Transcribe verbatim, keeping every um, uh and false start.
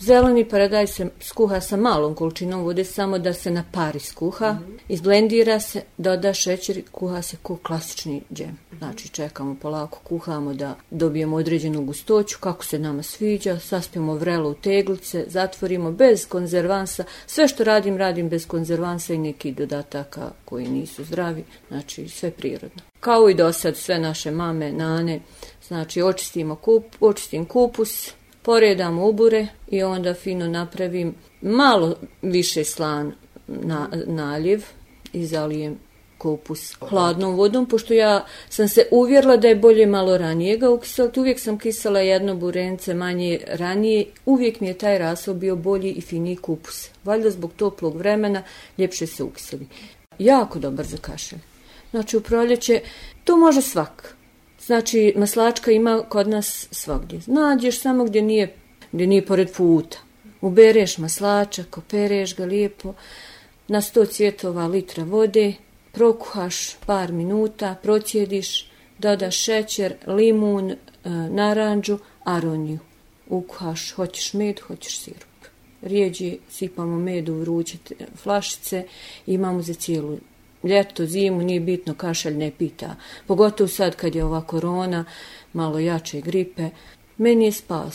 Zeleni paradajz se skuha sa malom količinom vode, samo da se na pari skuha, mm-hmm. izblendira se, doda šećer i kuha se ko klasični džem. Znači čekamo polako, kuhamo da dobijemo određenu gustoću, kako se nama sviđa, saspijemo vrelo u teglice, zatvorimo bez konzervansa. Sve što radim, radim bez konzervansa i nekih dodataka koji nisu zdravi, znači sve prirodno. Kao i do sad, sve naše mame, nane, znači očistimo kup, očistim kupus, poredam ubure i onda fino napravim malo više slan na, naljev i zalijem kupus hladnom vodom, pošto ja sam se uvjerila da je bolje malo ranije ga ukiseliti. Uvijek sam kisala jedno burence manje ranije, uvijek mi je taj rasol bio bolji i finiji kupus. Valjda zbog toplog vremena ljepše se ukiseli. Jako dobar za kašelj. Znači u proljeće to može svak. Znači, maslačka ima kod nas svagdje. Nađeš samo gdje nije, gdje nije pored puta. Ubereš maslačak, opereš ga lijepo, na sto cvjetova litra vode, prokuhaš par minuta, procijediš, dodaš šećer, limun, naranđu, aroniju. Ukuhaš, hoćeš med, hoćeš sirup. Rijeđe sipamo med u vruće flašice, imamo za cijelu ljeto, zimu, nije bitno, kašalj ne pita. Pogotovo sad kad je ova korona, malo jače gripe. Meni je spas.